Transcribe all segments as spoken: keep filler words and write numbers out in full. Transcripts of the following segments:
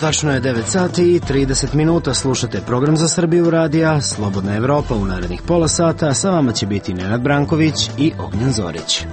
tačno je devet sati i trideset minuta. Slušate program za Srbiju radija Slobodna Evropa. U narednih pola sata sa vama će biti Nenad Branković i Ognjen Zorić.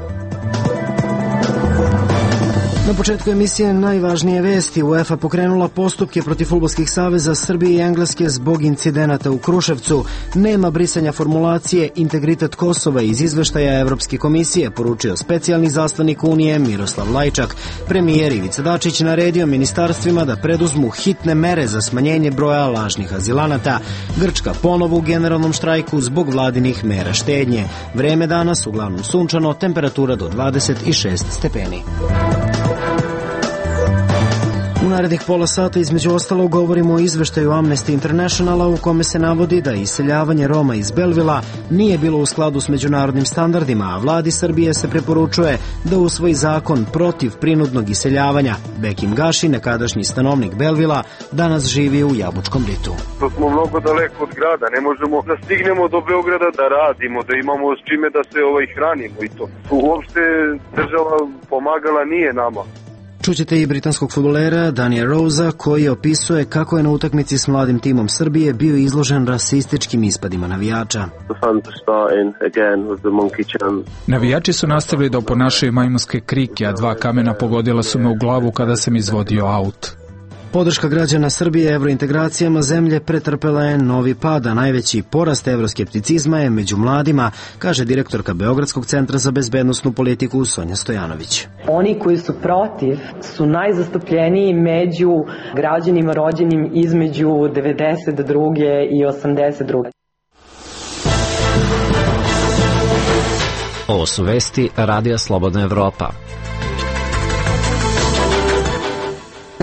Na početku emisije najvažnije vesti. UEFA pokrenula postupke protiv fudbalskih saveza Srbije i Engleske zbog incidenata u Kruševcu. Nema brisanja formulacije integritet Kosova iz izveštaja Evropske komisije, poručio specijalni zaslanik Unije Miroslav Lajčak. Premijer Ivica Dačić naredio ministarstvima da preduzmu hitne mere za smanjenje broja lažnih azilanata. Grčka ponovo u generalnom štrajku zbog vladinih mera štednje. Vreme danas uglavnom sunčano, temperatura do dvadeset šest stepeni. U narednih pola sata između ostalo govorimo o izveštaju Amnesty Internationala u kome se navodi da iseljavanje Roma iz Belvila nije bilo u skladu s međunarodnim standardima, a vladi Srbije se preporučuje da usvoji zakon protiv prinudnog iseljavanja. Bekim Gaši, nekadašnji stanovnik Belvila, danas živi u Jabučkom ritu. To smo mnogo daleko od grada, ne možemo da stignemo do Beograda da radimo, da imamo s čime da se ovaj hranimo i to. Uopšte država pomagala nije nama. Čućete i britanskog fudbalera Danija Rosa koji opisuje kako je na utakmici s mladim timom Srbije bio izložen rasističkim ispadima navijača. Navijači su nastavili da oponašaju majmunske krike, a dva kamena pogodila su me u glavu kada sam izvodio aut. Podrška građana Srbije evrointegracijama zemlje pretrpela je novi pad, a najveći porast evroskepticizma je među mladima, kaže direktorka Beogradskog centra za bezbednosnu politiku Sonja Stojanović. Oni koji su protiv su najzastupljeniji među građanima rođenim između devedeset druge i osamdeset druge. Ovo su vesti Radija Slobodna Evropa.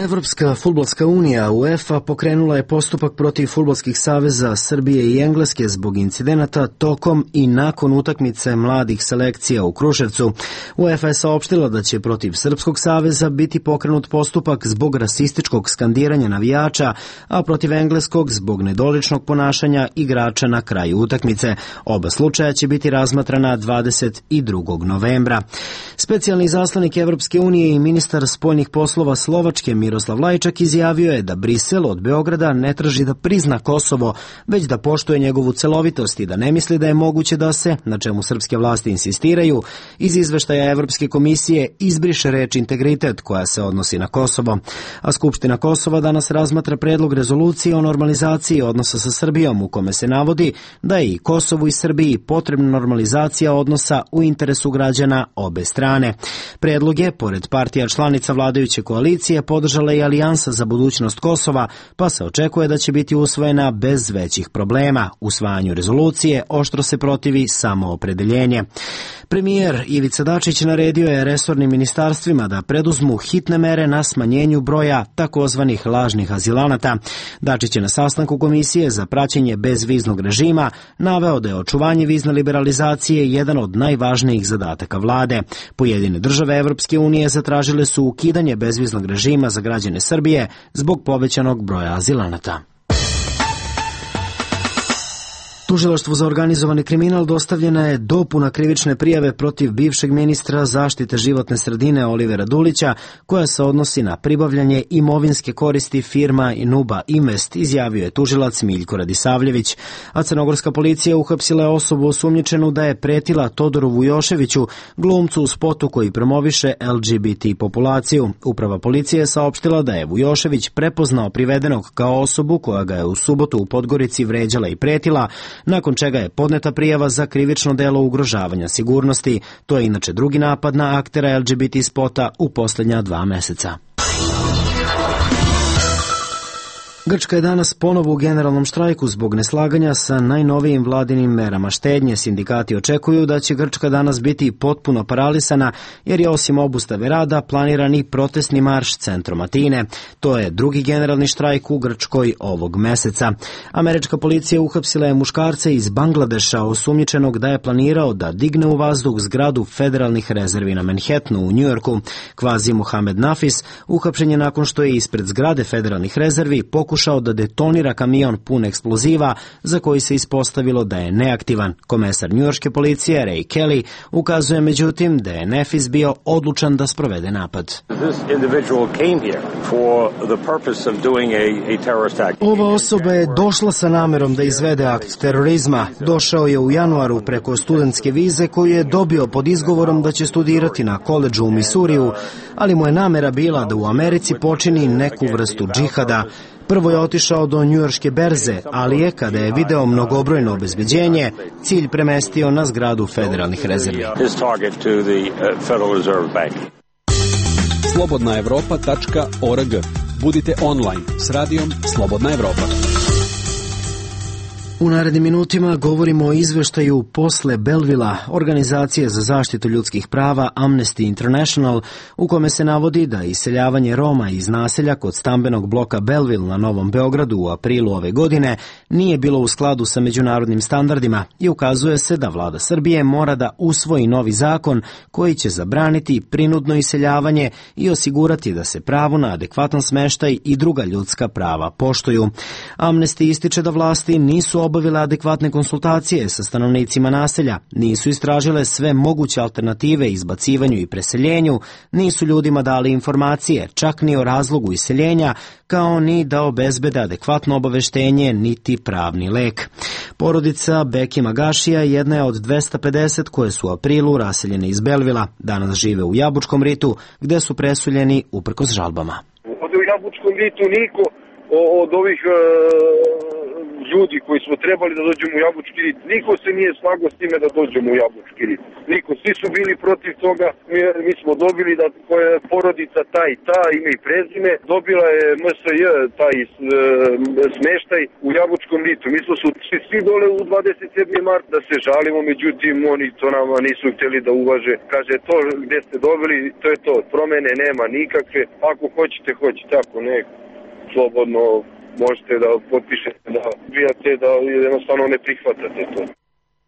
Evropska fudbalska unija UEFA pokrenula je postupak protiv fudbalskih saveza Srbije i Engleske zbog incidenata tokom i nakon utakmice mladih selekcija u Kruševcu. UEFA je saopštila da će protiv Srpskog saveza biti pokrenut postupak zbog rasističkog skandiranja navijača, a protiv Engleskog zbog nedoličnog ponašanja igrača na kraju utakmice. Oba slučaja će biti razmatrana dvadeset drugog novembra. Specijalni zaslanik Evropske unije i ministar spoljnih poslova Slovačke Miroslav Lajčak izjavio je da Brisel od Beograda ne traži da prizna Kosovo, već da poštuje njegovu celovitost i da ne misli da je moguće da se, na čemu srpske vlasti insistiraju, iz izveštaja Evropske komisije izbriše reč integritet koja se odnosi na Kosovo. A Skupština Kosova danas razmatra predlog rezolucije o normalizaciji odnosa sa Srbijom u kome se navodi da je i Kosovu i Srbiji potrebna normalizacija odnosa u interesu građana obe strane. Predlog je, pored partija članica vladajuće koalicije, podržala i Alijansa za budućnost Kosova, pa se očekuje da će biti usvojena bez većih problema. Usvajanju rezolucije oštro se protivi samoopredeljenje. Premijer Ivica Dačić naredio je resornim ministarstvima da preduzmu hitne mere na smanjenju broja takozvanih lažnih azilanata. Dačić je na sastanku Komisije za praćenje bezviznog režima naveo da je očuvanje vizne liberalizacije jedan od najvažnijih zadataka vlade. Pojedine države Evropske unije zatražile su ukidanje bezviznog režima za građane Srbije zbog povećanog broja azilanata. Tužilaštvu za organizovani kriminal dostavljena je dopuna krivične prijave protiv bivšeg ministra zaštite životne sredine Olivera Dulića, koja se odnosi na pribavljanje imovinske koristi firma Nuba Invest, izjavio je tužilac Miljko Radisavljević. A crnogorska policija uhapsila je osobu osumnjičenu da je pretila Todoru Vujoševiću, glumcu u spotu koji promoviše L G B T populaciju. Uprava policije je saopštila da je Vujošević prepoznao privedenog kao osobu koja ga je u subotu u Podgorici vređala i pretila, nakon čega je podneta prijava za krivično delo ugrožavanja sigurnosti. To je inače drugi napad na aktera L G B T spota u posljednja dva meseca. Grčka je danas ponovo u generalnom štrajku zbog neslaganja sa najnovijim vladinim merama štednje. Sindikati očekuju da će Grčka danas biti potpuno paralisana jer je osim obustave rada planiran i protestni marš centrom Atine. To je drugi generalni štrajk u Grčkoj ovog meseca. Američka policija uhapsila je muškarca iz Bangladeša osumnjičenog da je planirao da digne u vazduh zgradu federalnih rezervi na Manhattanu u Njujorku. Kvazi Mohamed Nafis uhapšen je nakon što je ispred zgrade federalnih rezervi pokušao pokušao da detonira kamion pun eksploziva za koji se ispostavilo da je neaktivan. Komesar njujorške policije Ray Kelly ukazuje međutim da je Nefis bio odlučan da sprovede napad. Ova osoba je došla sa namerom da izvede akt terorizma. Došao je u januaru preko studentske vize koju je dobio pod izgovorom da će studirati na koledžu u Misuriju, ali mu je namera bila da u Americi počini neku vrstu džihada. Prvo je otišao do njujorške berze, ali je, kada je video mnogobrojno obezbeđenje, cilj premestio na zgradu federalnih rezervi. slobodna evropa tačka org. Budite online s radijom Slobodna Evropa. U narednim minutima govorimo o izveštaju posle Bellevilla, organizacije za zaštitu ljudskih prava Amnesty International, u kome se navodi da iseljavanje Roma iz naselja kod stambenog bloka Belleville na Novom Beogradu u aprilu ove godine nije bilo u skladu sa međunarodnim standardima i ukazuje se da vlada Srbije mora da usvoji novi zakon koji će zabraniti prinudno iseljavanje i osigurati da se pravo na adekvatan smeštaj i druga ljudska prava poštuju. Amnesty ističe da vlasti nisu obavile adekvatne konsultacije sa stanovnicima naselja, nisu istražile sve moguće alternative izbacivanju i preseljenju, nisu ljudima dali informacije, čak ni o razlogu iseljenja, kao ni da obezbede adekvatno obaveštenje niti pravni lek. Porodica Beki Magašija jedna je od dvesta pedeset koje su u aprilu raseljene iz Bellevilla. Danas žive u Jabučkom ritu, gde su presuljeni uprkos žalbama. Ovde u Jabučkom ritu niko od ovih e, ljudi koji smo trebali da dođemo u Jabučki rit, niko se nije slagao s time da dođemo u Jabučki rit. Niko, svi su bili protiv toga, mi, mi smo dobili da koja je porodica ta i ta, ime i prezime, dobila je M S J taj e, smeštaj u Jabučkom ritu. Mi smo su svi dole u dvadeset sedmog marta da se žalimo, međutim oni to nama nisu htjeli da uvaže. Kaže, to gde ste dobili, to je to, promene nema nikakve, ako hoćete, hoćete, ako ne, slobodno možete da potpišete, da bijate, da jednostavno ne prihvatate to.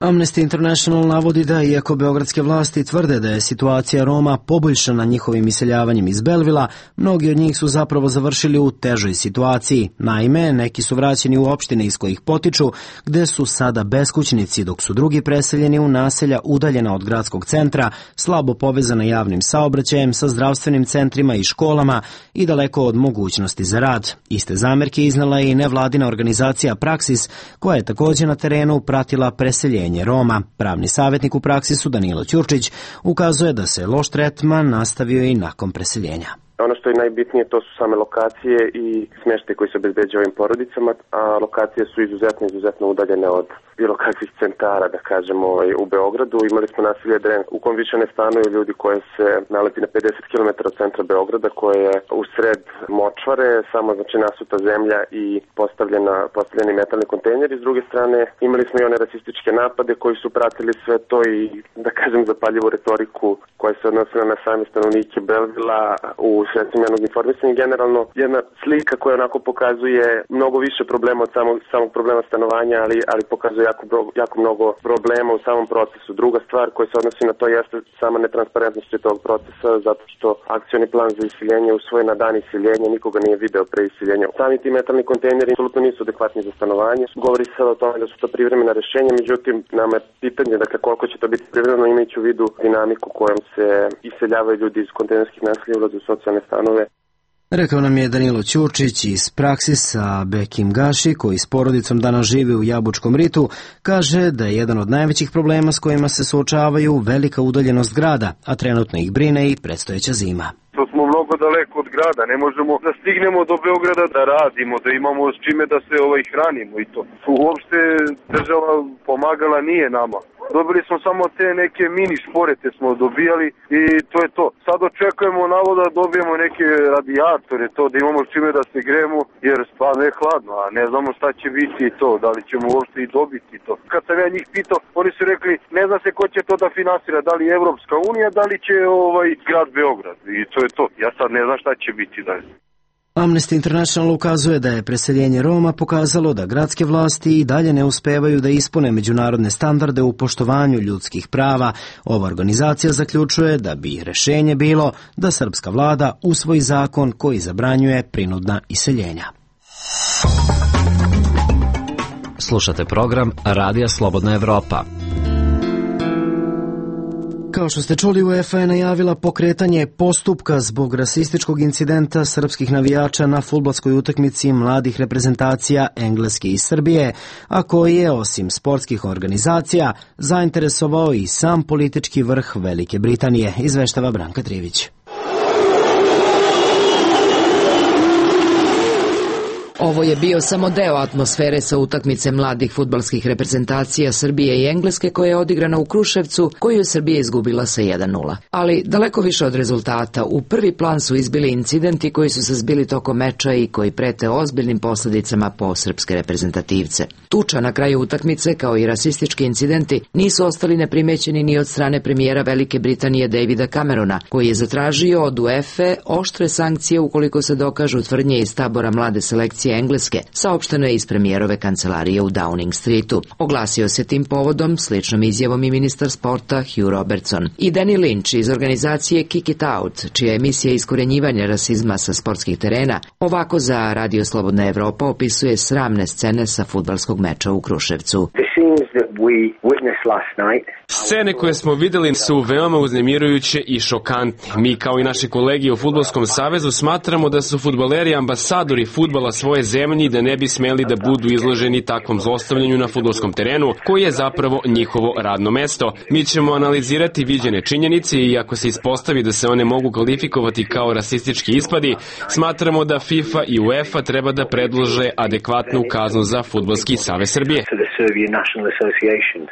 Amnesty International navodi da, iako beogradske vlasti tvrde da je situacija Roma poboljšana njihovim iseljavanjem iz Bellevilla, mnogi od njih su zapravo završili u težoj situaciji. Naime, neki su vraćeni u opštine iz kojih potiču, gde su sada beskućnici, dok su drugi preseljeni u naselja udaljena od gradskog centra, slabo povezana javnim saobraćajem sa zdravstvenim centrima i školama i daleko od mogućnosti za rad. Iste zamerke iznala je i nevladina organizacija Praksis, koja je također na terenu pratila preseljenje Roma. Pravni savjetnik u Praksisu Danilo Ćurčić ukazuje da se loš tretman nastavio i nakon preseljenja. Ono što je najbitnije to su same lokacije i smještaj koji se obezbeđuje ovim porodicama, a lokacije su izuzetno, izuzetno udaljene od bilo kakvih centara, da kažemo, u Beogradu. Imali smo naselje Dren u kom više ne stanuju ljudi koje se nalazi na pedeset kilometara od centra Beograda, koje je u sred močvare, samo znači nasuta zemlja i postavljena, postavljeni metalni kontejneri. S druge strane, imali smo i one rasističke napade koji su pratili sve to i, da kažem, zapaljivu retoriku koja se odnosila na same stanovnike Bellevilla u sredstvima javnog informisanja. Generalno jedna slika koja onako pokazuje mnogo više problema od samog, samog problema stanovanja, ali, ali pokazuje jako, jako mnogo problema u samom procesu. Druga stvar koja se odnosi na to jeste sama netransparentnost tog procesa, zato što akcioni plan za iseljenje usvojen na dan iseljenja, nikoga nije video pre iseljenja. Sami ti metalni kontejneri apsolutno nisu adekvatni za stanovanje. Govori se o tome da su to privremena rešenja, međutim nama je pitanje, dakle, koliko će to biti privremeno, imajući u vidu dinamiku kojom se iseljavaju ljudi iz kontejnerskih naselja, ulaze u socijalne stanove. Rekao nam je Danilo Ćurčić iz Praksisa. Bekim Gaši, koji s porodicom danas živi u Jabučkom ritu, kaže da je jedan od najvećih problema s kojima se suočavaju velika udaljenost grada, a trenutno ih brine i predstojeća zima. To smo mnogo daleko od grada, ne možemo da stignemo do Beograda da radimo, da imamo s čime da se ovaj hranimo i to. Uopšte država pomagala nije nama. Dobili smo samo te neke mini šporete smo dobijali i to je to. Sad očekujemo navoda da dobijemo neke radijatore, to da imamo s čime da se gremo, jer stvarno je hladno, a ne znamo šta će biti to, da li ćemo uopšte i dobiti to. Kad sam ja njih pitao, oni su rekli, ne zna se ko će to da finansira, da li Evropska unija, da li će ovaj grad Beograd, i to je to. Ja sad ne znam šta će biti dalje. Amnesty International ukazuje da je preseljenje Roma pokazalo da gradske vlasti i dalje ne uspevaju da ispune međunarodne standarde u poštovanju ljudskih prava. Ova organizacija zaključuje da bi rešenje bilo da srpska vlada usvoji zakon koji zabranjuje prinudna iseljenja. Slušate program Radija Slobodna Evropa. Kao što ste čuli, UEFA je najavila pokretanje postupka zbog rasističkog incidenta srpskih navijača na fudbalskoj utakmici mladih reprezentacija Engleske i Srbije, a koji je, osim sportskih organizacija, zainteresovao i sam politički vrh Velike Britanije, izveštava Branka Trivić. Ovo je bio samo deo atmosfere sa utakmice mladih fudbalskih reprezentacija Srbije i Engleske koja je odigrana u Kruševcu, koju je Srbija izgubila sa jedan nula. Ali daleko više od rezultata, u prvi plan su izbili incidenti koji su se zbili tokom meča i koji prete ozbiljnim posledicama po srpske reprezentativce. Tuča na kraju utakmice, kao i rasistički incidenti, nisu ostali neprimećeni ni od strane premijera Velike Britanije Davida Camerona, koji je zatražio od UEFA oštre sankcije ukoliko se dokažu tvrdnje iz tabora mlade selekcije Engleske, saopšteno je iz premijerove kancelarije u Downing Streetu. Oglasio se tim povodom sličnom izjavom i ministar sporta Hugh Robertson. I Danny Lynch iz organizacije Kick It Out, čija emisija iskorenjivanja rasizma sa sportskih terena, ovako za Radio Slobodna Evropa opisuje sramne scene sa fudbalskog meča u Kruševcu. Scene koje smo videli su veoma uznemirujuće i šokantne. Mi kao i naši kolegi u Fudbalskom savezu smatramo da su fudbaleri ambasadori fudbala svoje zemlje i da ne bi smeli da budu izloženi takvom zlostavljanju na fudbalskom terenu, koji je zapravo njihovo radno mesto. Mi ćemo analizirati viđene činjenice i ako se ispostavi da se one mogu kvalifikovati kao rasistički ispadi, smatramo da FIFA i UEFA treba da predlože adekvatnu kaznu za Fudbalski savez Srbije.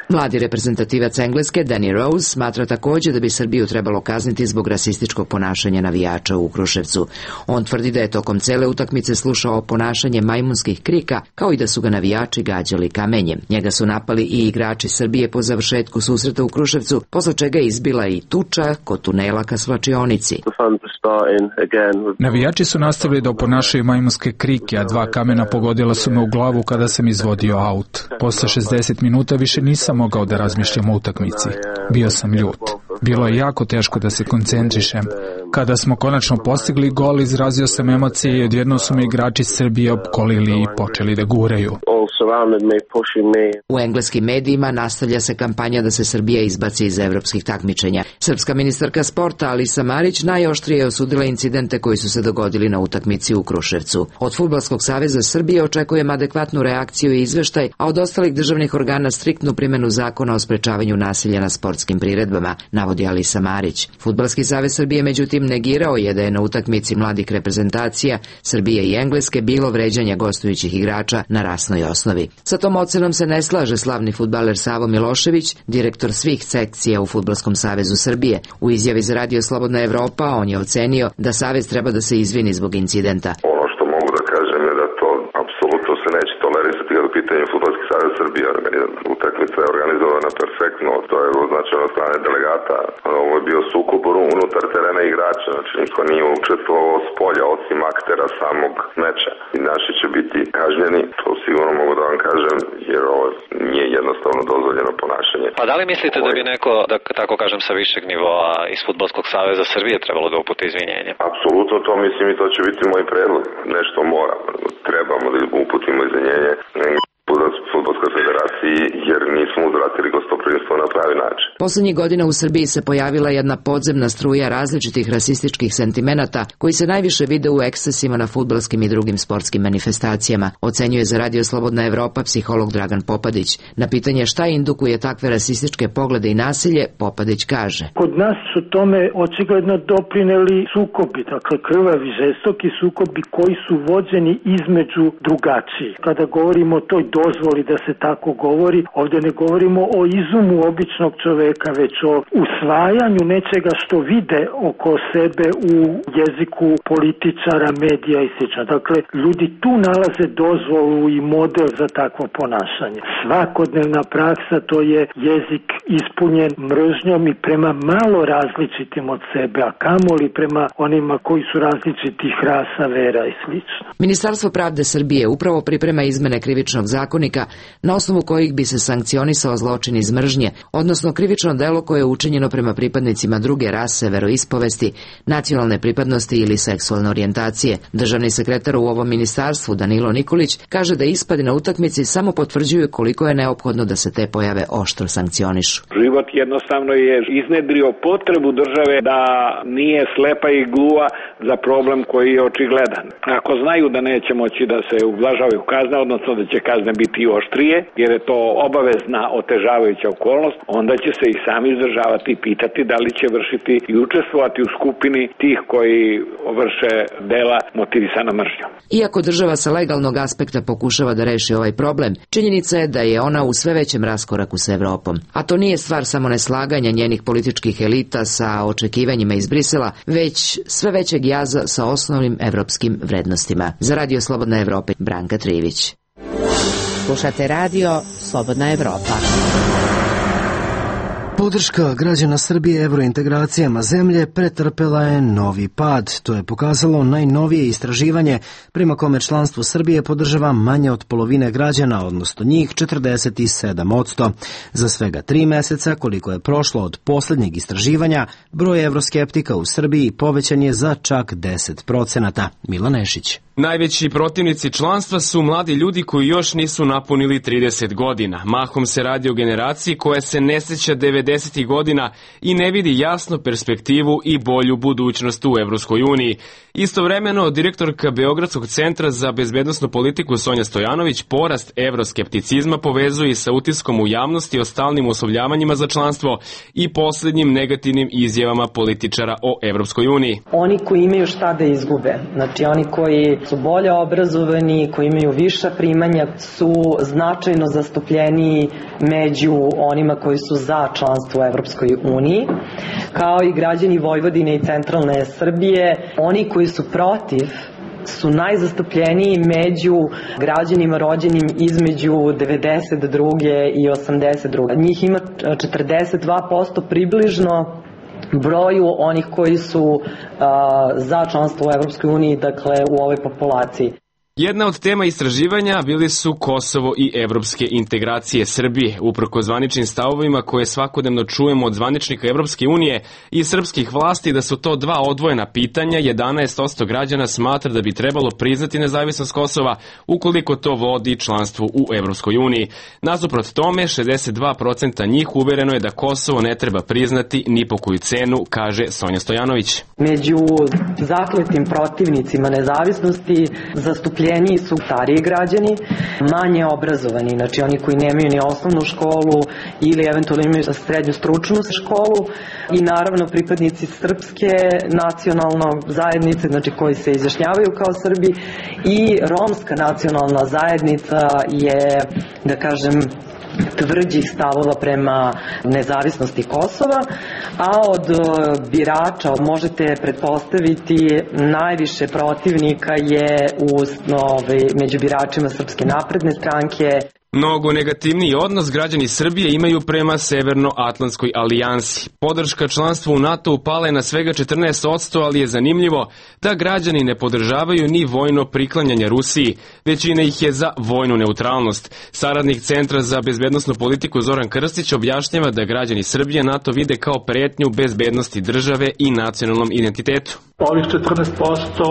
Mladi reprezentativac Engleske Danny Rose smatra također da bi Srbiju trebalo kazniti zbog rasističkog ponašanja navijača u Kruševcu. On tvrdi da je tokom cele utakmice slušao ponašanje majmunskih krika, kao i da su ga navijači gađali kamenjem. Njega su napali i igrači Srbije po završetku susreta u Kruševcu, posle čega je izbila i tuča kod tunela ka svlačionici. Navijači su nastavili da oponašaju majmunske krike, a dva kamena pogodila su me u glavu kada sam izvodio aut. Posle šezdeset minuta više nisam mogao da razmišljam o utakmici. Bio sam ljut. Bilo je jako teško da se koncentrišem. Kada smo konačno postigli gol, izrazio sam emocije i odjednom su me igrači Srbije opkolili i počeli da guraju. U engleskim medijima nastavlja se kampanja da se Srbija izbaci iz evropskih takmičenja. Srpska ministarka sporta Alisa Marić najoštrije je osudila incidente koji su se dogodili na utakmici u Kruševcu. Od Fudbalskog saveza Srbije očekujem adekvatnu reakciju i izveštaj, a od ostalih državnih organa striktnu primjenu zakona o sprečavanju nasilja na sportskim priredbama, navodi Alisa Marić. Fudbalski savez Srbije međutim negirao je da je na utakmici mladih reprezentacija Srbije i Engleske bilo vređanja gostujućih igrača na rasnoj osnovi. Sa tom ocenom se ne slaže slavni fudbaler Savo Milošević, direktor svih sekcija u Fudbalskom savezu Srbije. U izjavi za Radio Slobodna Evropa on je ocenio da savez treba da se izvini zbog incidenta. Ono što mogu da kažem je da to apsolutno se neće tolerisati kada u pitanju Fudbalski savez Srbije. Utakmica je organizovana perfektno, to je označeno od strane delegata. Ovo je bio sukob unutar terena igrača, znači niko nije učestvovao s polja osim aktera samog meča. I naši će biti kažnjeni, to sigurno mogu da vam kažem, jer ovo nije jednostavno dozvoljeno ponašanje. Pa da li mislite da bi neko, da tako kažem, sa višeg nivoa iz Fudbalskog saveza Srbije trebalo da uputi izvinjenje? Apsolutno to mislim i to će biti moj predlog. Nešto mora, trebamo da uputimo izvinjenje Fudbalskoj federaciji jer nismo uzvratili gostoprimstvo na pravi način. Poslednjih godina u Srbiji se pojavila jedna podzemna struja različitih rasističkih sentimenata koji se najviše vide u ekscesima na fudbalskim i drugim sportskim manifestacijama, ocenjuje za Radio Slobodna Evropa psiholog Dragan Popadić. Na pitanje šta indukuje takve rasističke poglede i nasilje, Popadić kaže: Kod nas su tome očigledno doprineli sukobi, dakle krvavi, žestoki sukobi koji su vođeni između drugačijih. Kada govorimo o toj dozvoli da se tako govori, ovdje ne govorimo o izumu običnog čoveka, već o usvajanju nečega što vide oko sebe u jeziku političara, medija i sl. Dakle, ljudi tu nalaze dozvolu i model za takvo ponašanje. Svakodnevna praksa to je jezik ispunjen mržnjom i prema malo različitim od sebe, a kamoli prema onima koji su različitih rasa, vera i sl. Ministarstvo pravde Srbije upravo priprema izmene krivičnog zakonika na osnovu kojih bi se sankcionisao zločin iz mržnje, odnosno krivično krivično delo koje je učinjeno prema pripadnicima druge rase, veroispovesti, nacionalne pripadnosti ili seksualne orijentacije. Državni sekretar u ovom ministarstvu Danilo Nikolić kaže da ispadi na utakmici samo potvrđuju koliko je neophodno da se te pojave oštro sankcionišu. Život jednostavno je iznedrio potrebu države da nije slepa i gluva za problem koji je očigledan. Ako znaju da neće moći da se ublažavaju kazne, odnosno da će kazne biti oštrije, jer je to obavezna otežavajuća okolnost, onda će se i sami izdržavati i pitati da li će vršiti i učestvovati u skupini tih koji vrše dela motivisana mržnjom. Iako država sa legalnog aspekta pokušava da reši ovaj problem, činjenica je da je ona u sve većem raskoraku sa Evropom. A to nije stvar samo neslaganja njenih političkih elita sa očekivanjima iz Brisela, već sve većeg jaza sa osnovnim evropskim vrednostima. Za Radio Slobodna Evropa, Branka Trivić. Slušate Radio Slobodna Evropa. Podrška građana Srbije evrointegracijama zemlje pretrpela je novi pad. To je pokazalo najnovije istraživanje prema kome članstvo Srbije podržava manje od polovine građana, odnosno njih četrdeset sedam posto. Za svega tri meseca, koliko je prošlo od posljednjeg istraživanja, broj evroskeptika u Srbiji povećan je za čak deset procenata. Milan Nešić. Najveći protivnici članstva su mladi ljudi koji još nisu napunili trideset godina. Mahom se radi o generaciji koja se ne sjeća devedesetih godina i ne vidi jasnu perspektivu i bolju budućnost u Evropskoj uniji. Istovremeno, direktorka Beogradskog centra za bezbednosnu politiku Sonja Stojanović porast evroskepticizma povezuje sa utiskom u javnosti o stalnim oslovljavanjima za članstvo i posljednjim negativnim izjavama političara o Evropskoj uniji. Oni koji imaju šta da izgube, znači oni koji su bolje obrazovani, koji imaju viša primanja, su značajno zastupljeniji među onima koji su za članstvo u Evropskoj uniji, kao i građani Vojvodine i centralne Srbije. Oni koji su protiv su najzastupljeniji među građanima rođenim između devedeset druge i osamdeset druge Njih ima četrdeset dva posto približno broju onih koji su uh, za članstvo u Evropskoj uniji, dakle u ovoj populaciji. Jedna od tema istraživanja bili su Kosovo i evropske integracije Srbije. Uprkos zvaničnim stavovima koje svakodnevno čujemo od zvaničnika Evropske unije i srpskih vlasti da su to dva odvojena pitanja, jedanaest posto građana smatra da bi trebalo priznati nezavisnost Kosova ukoliko to vodi članstvu u Evropskoj uniji. Nasuprot tome, šezdeset dva posto njih uvereno je da Kosovo ne treba priznati ni po koju cenu, kaže Sonja Stojanović. Među zakletim protivnicima nezavisnosti zastupljeni su stariji građani, manje obrazovani, znači oni koji nemaju ni osnovnu školu ili eventualno imaju srednju stručnu školu, i naravno pripadnici srpske nacionalne zajednice, znači koji se izjašnjavaju kao Srbi, i romska nacionalna zajednica je, da kažem, tvrđih stavova prema nezavisnosti Kosova, a od birača možete pretpostaviti najviše protivnika je u, ove, među biračima Srpske napredne stranke. Mnogo negativniji odnos građani Srbije imaju prema Severnoatlantskoj alijansi. Podrška članstvu u NATO upala je na svega četrnaest posto, ali je zanimljivo da građani ne podržavaju ni vojno priklanjanje Rusiji. Većina ih je za vojnu neutralnost. Saradnik Centra za bezbednosnu politiku Zoran Krstić objašnjava da građani Srbije NATO vide kao pretnju bezbednosti države i nacionalnom identitetu. Ovih četrnaest posto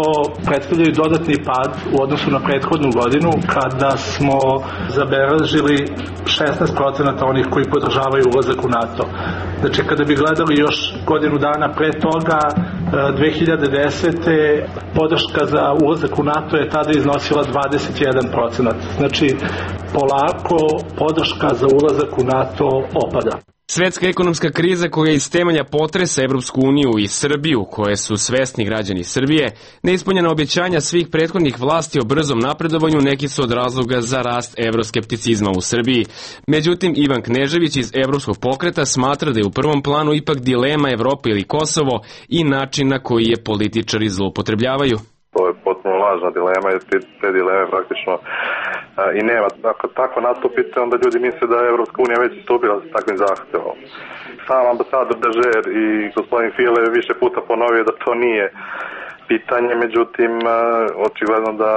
predstavljaju dodatni pad u odnosu na prethodnu godinu kada smo zabeležili šesnaest procenata onih koji podržavaju ulazak u NATO. Znači kada bi gledali još godinu dana pre toga, dve hiljade desete. podrška za ulazak u NATO je tada iznosila dvadeset jedan procenat. Znači polako podrška za ulazak u NATO opada. Svetska ekonomska kriza koja iz temelja potresa Evropsku uniju i Srbiju, koje su svesni građani Srbije, neispunjena obećanja svih prethodnih vlasti o brzom napredovanju neki su od razloga za rast evroskepticizma u Srbiji. Međutim, Ivan Knežević iz Evropskog pokreta smatra da je u prvom planu ipak dilema Evropa ili Kosovo i način na koji je političari zloupotrebljavaju. To je potpuno lažna dilema, jer te, te dileme praktično a, i nema. Ako tako nastupite, onda ljudi misle da je Evropska unija već istupila sa takvim zahtevom. Sam ambasador Dežer i gospodin File više puta ponovio da to nije pitanje, međutim, a, očigledno da,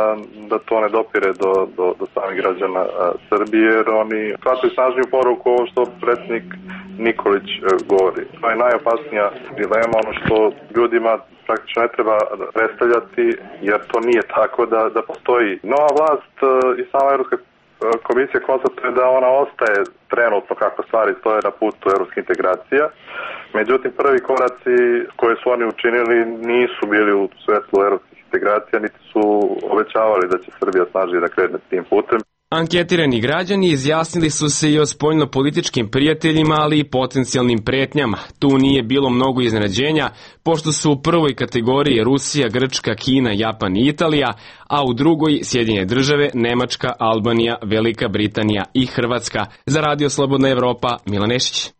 da to ne dopire do, do, do samih građana a, Srbije, jer oni shvataju snažniju poruku ovo što predsjednik Nikolić govori. To je najopasnija dilema, ono što ljudima praktično ne treba predstavljati, jer to nije tako da, da postoji. Nova vlast i sama Evropska komisija konstatuje da ona ostaje trenutno kako stvari stoje na putu evropske integracija. Međutim, prvi koraci koje su oni učinili nisu bili u svetlu evropskih integracija, niti su obećavali da će Srbija snažnije da krene tim putem. Anketirani građani izjasnili su se i o spoljno-političkim prijateljima, ali i potencijalnim pretnjama. Tu nije bilo mnogo iznenađenja, pošto su u prvoj kategoriji Rusija, Grčka, Kina, Japan i Italija, a u drugoj Sjedinjene države, Nemačka, Albanija, Velika Britanija i Hrvatska. Za Radio Slobodna Evropa, Milan Nešić.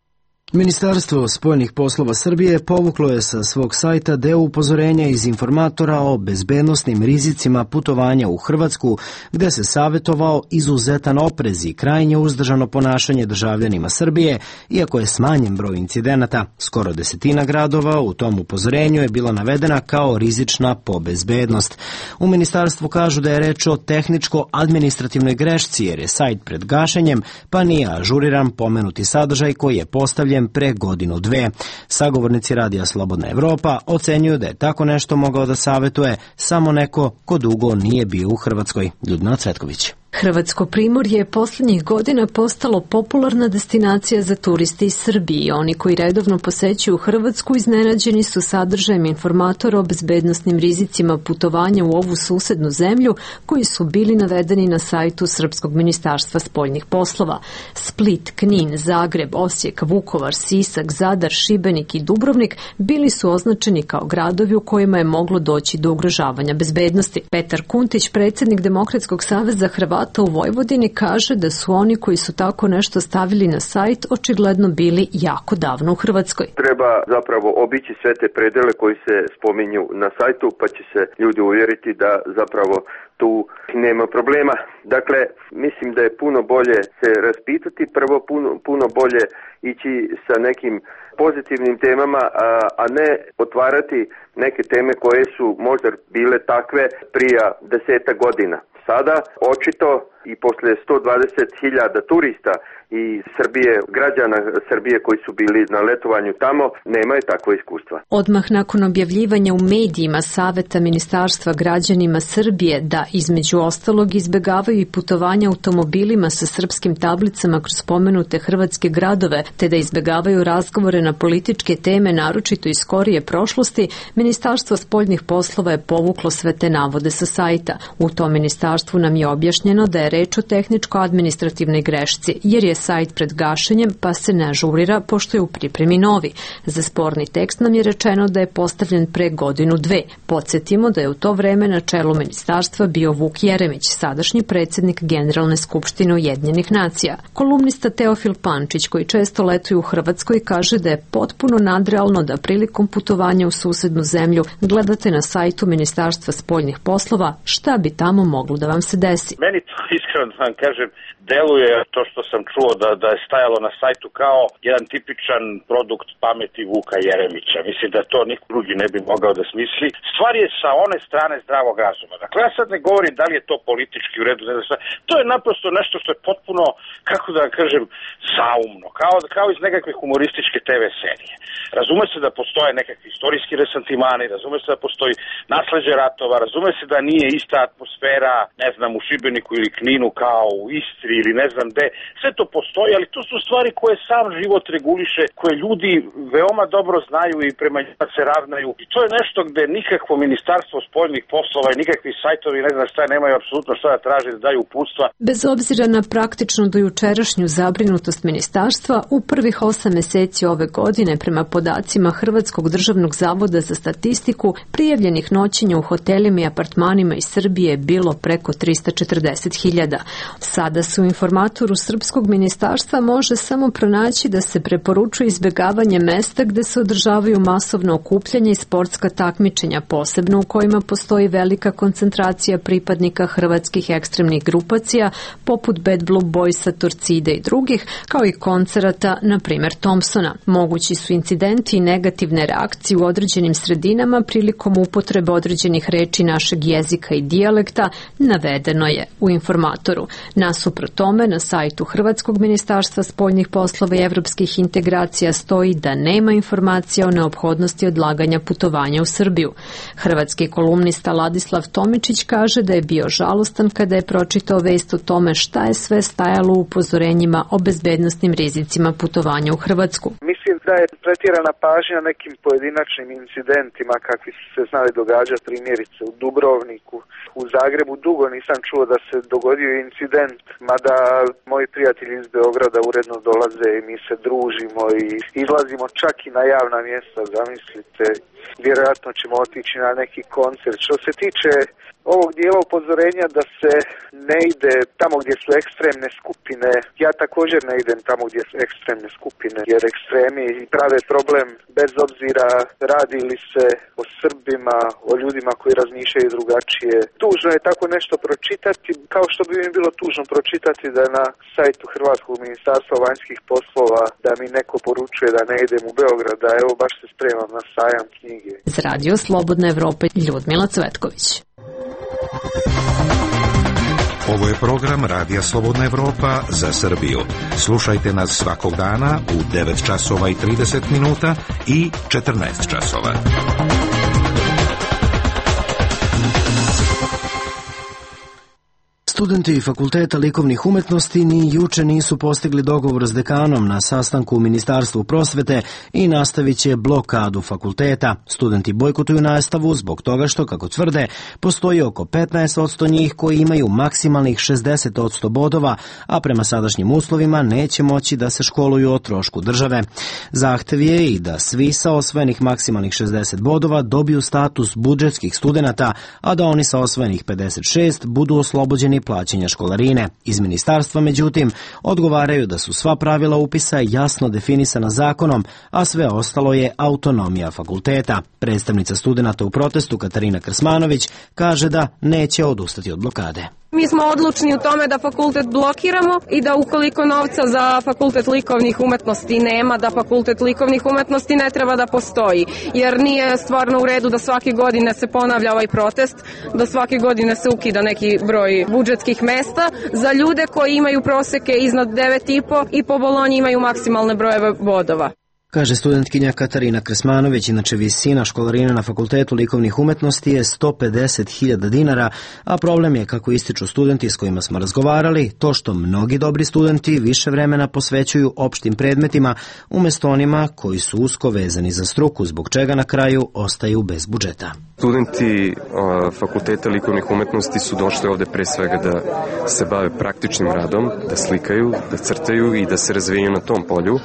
Ministarstvo spoljnih poslova Srbije povuklo je sa svog sajta deo upozorenja iz informatora o bezbednosnim rizicima putovanja u Hrvatsku, gde se savjetovao izuzetan oprez i krajnje uzdržano ponašanje državljanima Srbije, iako je smanjen broj incidenata. Skoro desetina gradova u tom upozorenju je bila navedena kao rizična po bezbednost. U ministarstvu kažu da je reč o tehničko-administrativnoj grešci, jer je sajt pred gašenjem, pa nije ažuriran pomenuti sadržaj koji je postavljen pre godinu dve. Sagovornici Radija Slobodna Evropa ocenjuju da je tako nešto mogao da savetuje samo neko ko dugo nije bio u Hrvatskoj. Ljudmila Cvetković. Hrvatsko primorje je posljednjih godina postalo popularna destinacija za turiste iz Srbije. Oni koji redovno posećuju Hrvatsku iznenađeni su sadržajem informatora o bezbednosnim rizicima putovanja u ovu susednu zemlju koji su bili navedeni na sajtu Srpskog ministarstva spoljnih poslova. Split, Knin, Zagreb, Osijek, Vukovar, Sisak, Zadar, Šibenik i Dubrovnik bili su označeni kao gradovi u kojima je moglo doći do ugrožavanja bezbednosti. Petar Kuntić, predsjednik Demokratskog saveza Hrvata u Vojvodini, kaže da su oni koji su tako nešto stavili na sajt očigledno bili jako davno u Hrvatskoj. Treba zapravo obići sve te predele koji se spominju na sajtu, pa će se ljudi uvjeriti da zapravo tu nema problema. Dakle, mislim da je puno bolje se raspitati, prvo puno, puno bolje ići sa nekim pozitivnim temama, a, a ne otvarati neke teme koje su možda bile takve prije deseta godina. Sada, očito, i posle sto dvadeset hiljada turista i Srbije, građana Srbije koji su bili na letovanju tamo, nemaju takvo iskustva. Odmah nakon objavljivanja u medijima saveta ministarstva građanima Srbije da između ostalog izbegavaju i putovanja automobilima sa srpskim tablicama kroz spomenute hrvatske gradove, te da izbegavaju razgovore na političke teme, naročito iz skorije prošlosti, Ministarstvo spoljnih poslova je povuklo sve te navode sa sajta. U tom ministarstvu nam je objašnjeno da je reč o tehničko-administrativnoj grešci, jer je sajt pred gašenjem pa se ne ažurira pošto je u pripremi novi. Za sporni tekst nam je rečeno da je postavljen pre godinu dve. Podsjetimo da je u to vreme na čelu ministarstva bio Vuk Jeremić, sadašnji predsjednik Generalne skupštine Ujedinjenih nacija. Kolumnista Teofil Pančić, koji često letuje u Hrvatskoj, kaže da je potpuno nadrealno da prilikom putovanja u susednu zemlju gledate na sajtu Ministarstva spoljnih poslova šta bi tamo moglo da vam se desi. Meni to iskreno da vam kažem, deluje to što sam čuo da, da je stajalo na sajtu kao jedan tipičan produkt pameti Vuka Jeremića. Mislim da to niko drugi ne bi mogao da smisli. Stvar je sa one strane zdravog razuma. Dakle, ja sad ne govorim da li je to politički u redu. Ne znam, to je naprosto nešto što je potpuno, kako da kažem, saumno. Kao, kao iz nekakve humorističke te ve serije. Razume se da postoje nekakvi istorijski resentimani, razume se da postoji nasleđe ratova, razume se da nije ista atmosfera, ne znam, u Šibeniku ili Kninu kao u Istri ili ne znam gde. Sve to postoji, ali to su stvari koje sam život reguliše, koje ljudi veoma dobro znaju i prema njima se ravnaju. I to je nešto gde nikakvo ministarstvo spoljnih poslova i nikakvi sajtovi, ne znam šta, nemaju apsolutno šta da traže da daju uputstva. Bez obzira na praktično dojučerašnju zabrinutost ministarstva, u prvih osam meseci ove godine, prema podacima Hrvatskog državnog zavoda za statistiku, prijavljenih noćenja u hotelima i apartmanima iz Srbije je bilo preko trista četrdeset hiljada. Sada se u informatoru Srpskog ministarstva može samo pronaći da se preporučuje izbjegavanje mesta gde se održavaju masovno okupljanje i sportska takmičenja, posebno u kojima postoji velika koncentracija pripadnika hrvatskih ekstremnih grupacija, poput Bad Blue Boysa, Torcide i drugih, kao i koncerata, na primjer Thompsona. Mogući su incidenti i negativne reakcije u određenim sredinama prilikom upotrebe određenih reči našeg jezika i dijalekta, navedeno je u informatoru. formatoru. Nasuprot tome, na sajtu Hrvatskog ministarstva spoljnih poslova i evropskih integracija stoji da nema informacija o neophodnosti odlaganja putovanja u Srbiju. Hrvatski kolumnista Ladislav Tomičić kaže da je bio žalostan kada je pročitao vest o tome šta je sve stajalo u upozorenjima o bezbednosnim rizicima putovanja u Hrvatsku. Mislim da je pretjerana pažnja nekim pojedinačnim incidentima kakvi su se znali događati, primjerice u Dubrovniku, u Zagrebu. Dugo nisam čuo da se dogodio incident, mada moji prijatelji iz Beograda uredno dolaze i mi se družimo i izlazimo čak i na javna mjesta, zamislite. Vjerojatno ćemo otići na neki koncert. Što se tiče ovog dijela upozorenja da se ne ide tamo gdje su ekstremne skupine, ja također ne idem tamo gdje su ekstremne skupine, jer ekstremi prave problem bez obzira radi li se o Srbima, o ljudima koji razmišljaju drugačije. Tužno je tako nešto pročitati, kao što bi mi bilo tužno pročitati da na sajtu Hrvatskog ministarstva vanjskih poslova da mi neko poručuje da ne idem u Beograd, da evo baš se spremam na sajam knjige. Za Radio Slobodna Evropa, Ljudmila Cvetković. Ovo je program Radija Slobodna Evropa za Srbiju. Slušajte nas svakog dana u devet časova i trideset minuta i četrnaest časova. Studenti Fakulteta likovnih umetnosti ni juče nisu postigli dogovor s dekanom na sastanku u Ministarstvu prosvete i nastavit će blokadu fakulteta. Studenti bojkotuju nastavu zbog toga što, kako tvrde, postoji oko petnaest posto njih koji imaju maksimalnih šezdeset posto bodova, a prema sadašnjim uslovima neće moći da se školuju o trošku države. Zahtev je i da svi sa osvojenih maksimalnih šezdeset bodova dobiju status budžetskih studenata, a da oni sa osvojenih pedeset šest budu oslobođeni plaćanja školarine. Iz ministarstva, međutim, odgovaraju da su sva pravila upisa jasno definisana zakonom, a sve ostalo je autonomija fakulteta. Predstavnica studenata u protestu Katarina Krsmanović kaže da neće odustati od blokade. Mi smo odlučni u tome da fakultet blokiramo i da ukoliko novca za fakultet likovnih umetnosti nema, da fakultet likovnih umetnosti ne treba da postoji. Jer nije stvarno u redu da svake godine se ponavlja ovaj protest, da svake godine se ukida neki broj budžetskih mesta za ljude koji imaju proseke iznad devet i po i po Bolonji imaju maksimalne brojeve bodova. Kaže studentkinja Katarina Krsmanović, inače visina školarine na Fakultetu likovnih umetnosti je sto pedeset hiljada dinara, a problem je, kako ističu studenti s kojima smo razgovarali, to što mnogi dobri studenti više vremena posvećuju opštim predmetima umjesto onima koji su usko vezani za struku, zbog čega na kraju ostaju bez budžeta. Studenti uh, Fakulteta likovnih umetnosti su došli ovde pre svega da se bave praktičnim radom, da slikaju, da crtaju i da se razvijaju na tom polju,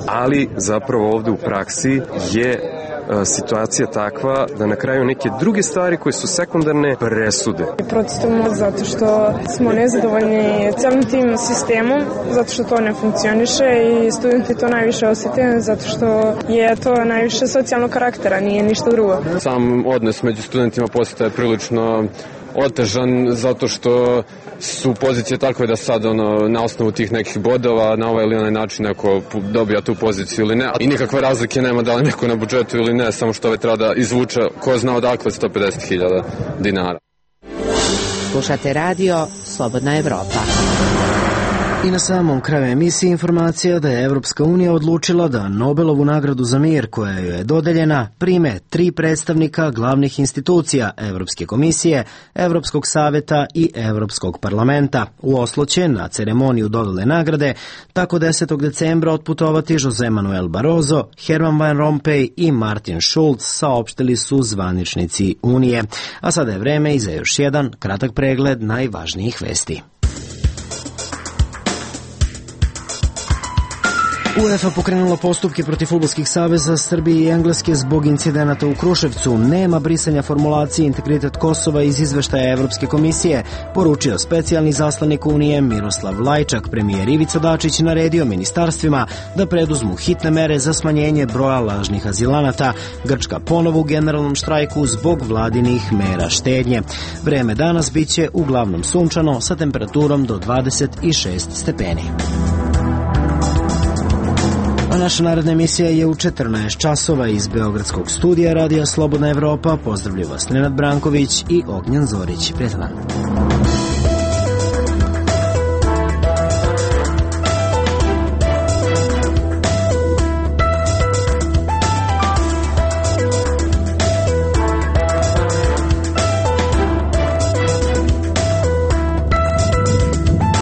ali zapravo ovde u praksi je uh, situacija takva da na kraju neke druge stvari koje su sekundarne presude. Protestujemo zato što smo nezadovoljni celim tim sistemom, zato što to ne funkcioniše i studenti to najviše osjete, zato što je to najviše socijalnog karaktera, nije ništa drugo. Sam odnos među studentima postaje prilično otežan zato što su pozicije takve da sad ono, na osnovu tih nekih bodova na ovaj ili onaj način neko dobija tu poziciju ili ne. I nikakve razlike nema da li neko na budžetu ili ne, samo što ovaj treba da izvuče ko zna odakle sto pedeset hiljada dinara. Slušate radio Slobodna Evropa. I na samom kraju emisije informacija da je Evropska unija odlučila da Nobelovu nagradu za mir, koja joj je dodeljena, prime tri predstavnika glavnih institucija Evropske komisije, Evropskog saveta i Evropskog parlamenta. U Oslo će na ceremoniju dodele nagrade tako desetog decembra otputovati Jose Manuel Barroso, Herman Van Rompuy i Martin Schulz, saopštili su zvaničnici Unije. A sada je vreme i za još jedan kratak pregled najvažnijih vesti. UEFA pokrenula postupke protiv fudbalskih saveza Srbije i Engleske zbog incidenata u Kruševcu. Nema brisanja formulacije integritet Kosova iz izveštaja Evropske komisije, poručio specijalni zaslanik Unije Miroslav Lajčak. Premijer Ivica Dačić naredio ministarstvima da preduzmu hitne mere za smanjenje broja lažnih azilanata. Grčka ponovo u generalnom štrajku zbog vladinih mera štednje. Vreme danas biće uglavnom sunčano sa temperaturom do dvadeset šest stepeni. A naša naredna emisija je u četrnaest časova iz Beogradskog studija Radija Slobodna Evropa. Pozdravljaju vas Nenad Branković i Ognjan Zorić. Prijatelj.